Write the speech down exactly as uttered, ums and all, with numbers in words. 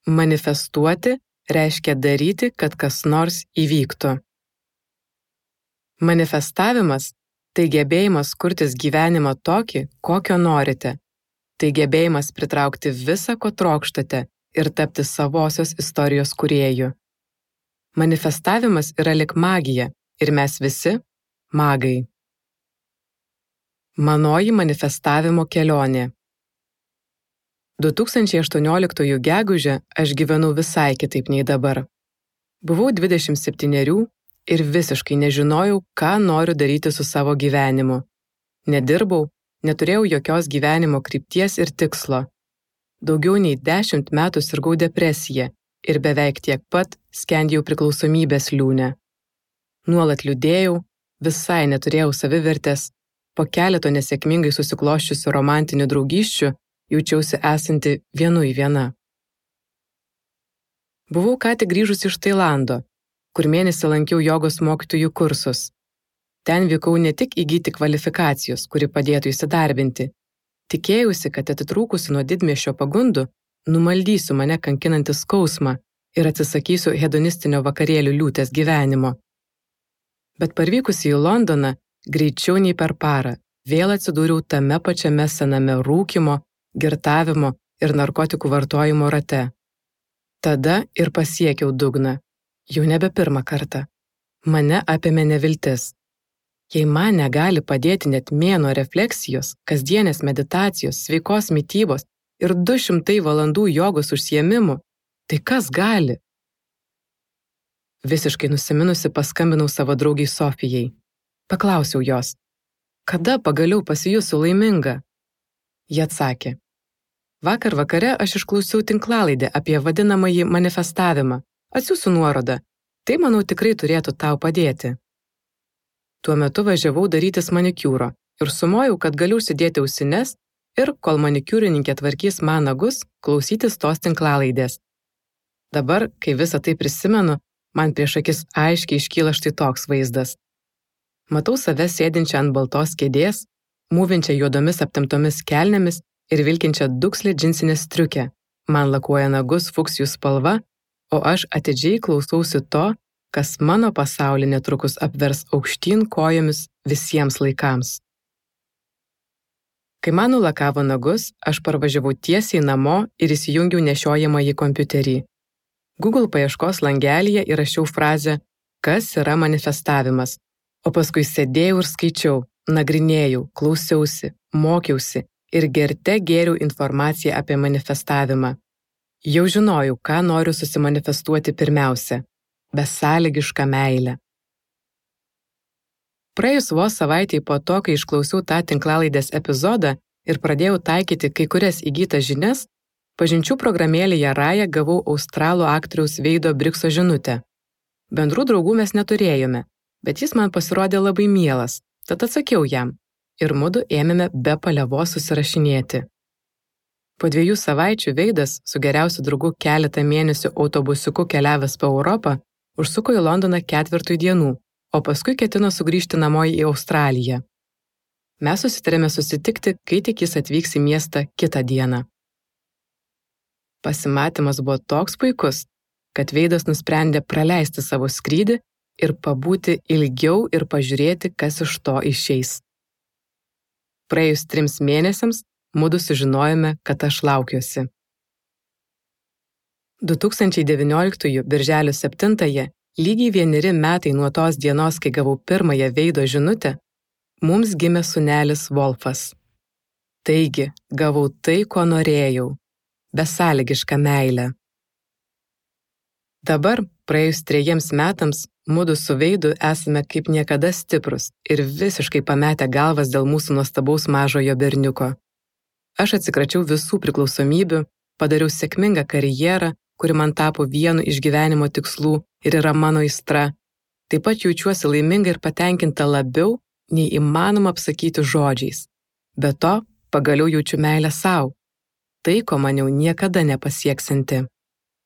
Manifestuoti reiškia daryti, kad kas nors įvyktų. Manifestavimas – tai gebėjimas kurtis gyvenimą tokį, kokio norite. Tai gebėjimas pritraukti visą, ko trokštate ir tapti savosios istorijos kūrėju. Manifestavimas yra lyg magija ir mes visi – magai. Manoji manifestavimo kelionė. du tūkstančiai aštuonioliktųjų gegužę aš gyvenau visai kitaip nei dabar. Buvau dvidešimt septynerių ir visiškai nežinojau, ką noriu daryti su savo gyvenimu. Nedirbau, neturėjau jokios gyvenimo krypties ir tikslo. Daugiau nei dešimt metų sirgau depresiją ir beveik tiek pat skendėjau priklausomybės liūne. Nuolat liūdėjau, visai neturėjau savivertės, po keleto nesėkmingai susiklosčiusių romantinių draugysčių jaučiausi esanti vienui viena. Buvau ką tik grįžusi iš Tailando, kur mėnesį lankiau jogos mokytojų kursus. Ten vykau ne tik įgyti kvalifikacijos, kuri padėtų įsidarbinti. Tikėjausi, kad atitrūkusi nuo didmiesčio pagundų, numaldysiu mane kankinantį skausmą ir atsisakysiu hedonistinio vakarėlių liūtės gyvenimo. Bet parvykusi į Londoną, greičiau nei per parą, vėl atsidūriau tame pačiame sename rūkymo, girtavimo ir narkotikų vartojimo rate. Tada ir pasiekiau dugną, jau nebe pirmą kartą. Mane apėmė neviltis. Jei man negali padėti net mėnuo refleksijos, kasdienės meditacijos, sveikos mitybos ir du šimtai valandų jogos užsiėmimų, tai kas gali? Visiškai nusiminusi paskambinau savo draugei Sofijai. Paklausiau jos, kada pagaliau pasijusiu laiminga? Ji atsakė, vakar vakare aš išklausiau tinklalaidę apie vadinamąjį manifestavimą. Atsiųsiu nuorodą. Tai, manau, tikrai turėtų tau padėti. Tuo metu važiavau darytis manikiūro ir sumojau, kad galiu užsidėti ausines ir, kol manikiūrininkė tvarkys man nagus, klausytis tos tinklalaidės. Dabar, kai visą tai prisimenu, man prieš akis aiškiai iškyla štai toks vaizdas. Matau save sėdinčią ant baltos kėdės, mūvinčią juodomis aptemptomis kelnėmis ir vilkinčią dukslę džinsinę striukę. Man lakuoja nagus fuksijų spalva, o aš atidžiai klausausi to, kas mano pasaulį netrukus apvers aukštyn kojomis visiems laikams. Kai man nulakavo nagus, aš parvažiavau tiesiai namo ir įsijungiau nešiojamąjį kompiuterį. Google paieškos langelyje įrašiau frazę „Kas yra manifestavimas?", o paskui sėdėjau ir skaičiau, nagrinėjau, klausiausi, mokiausi ir gerte gėriau informaciją apie manifestavimą. Jau žinojau, ką noriu susimanifestuoti pirmiausia – besąlygišką meilę. Praėjus vos savaitei po to, kai išklausiau tą tinklalaidės epizodą ir pradėjau taikyti kai kurias įgytas žinias, pažinčių programėlėje Raja gavau australų aktoriaus Veido Brikso žinutę. Bendrų draugų mes neturėjome, bet jis man pasirodė labai mielas, tad atsakiau jam ir mudu ėmėme be paliovos susirašinėti. Po dviejų savaičių Veidas, su geriausiu draugu keletą mėnesių autobusiuku keliavęs po Europą, užsuko į Londoną ketvirtui dienų, o paskui ketino sugrįžti namo į Australiją. Mes susitarėme susitikti, kai tik jis atvyks į miestą kitą dieną. Pasimatymas buvo toks puikus, kad Veidas nusprendė praleisti savo skrydį ir pabūti ilgiau ir pažiūrėti, kas iš to išeis. Praėjus trims mėnesiams, mudu sužinojome, kad aš laukiuosi. du tūkstančiai devynioliktųjų birželio septintąją, lygiai vieneri metai nuo tos dienos, kai gavau pirmąją Veido žinutę, mums gimė sūnelis Wolfas. Taigi, gavau tai, ko norėjau – besąlygišką meilę. Dabar, praėjus trejiems metams, mudu su Veidu esame kaip niekada stiprus ir visiškai pametę galvas dėl mūsų nuostabaus mažojo berniuko. Aš atsikračiau visų priklausomybių, padariau sėkmingą karjerą, kuri man tapo vienu iš gyvenimo tikslų ir yra mano aistra. Taip pat jaučiuosi laiminga ir patenkinta labiau, nei įmanoma apsakyti žodžiais. Be to, pagaliau jaučiu meilę sau. Tai, ko maniau niekada nepasieksinti.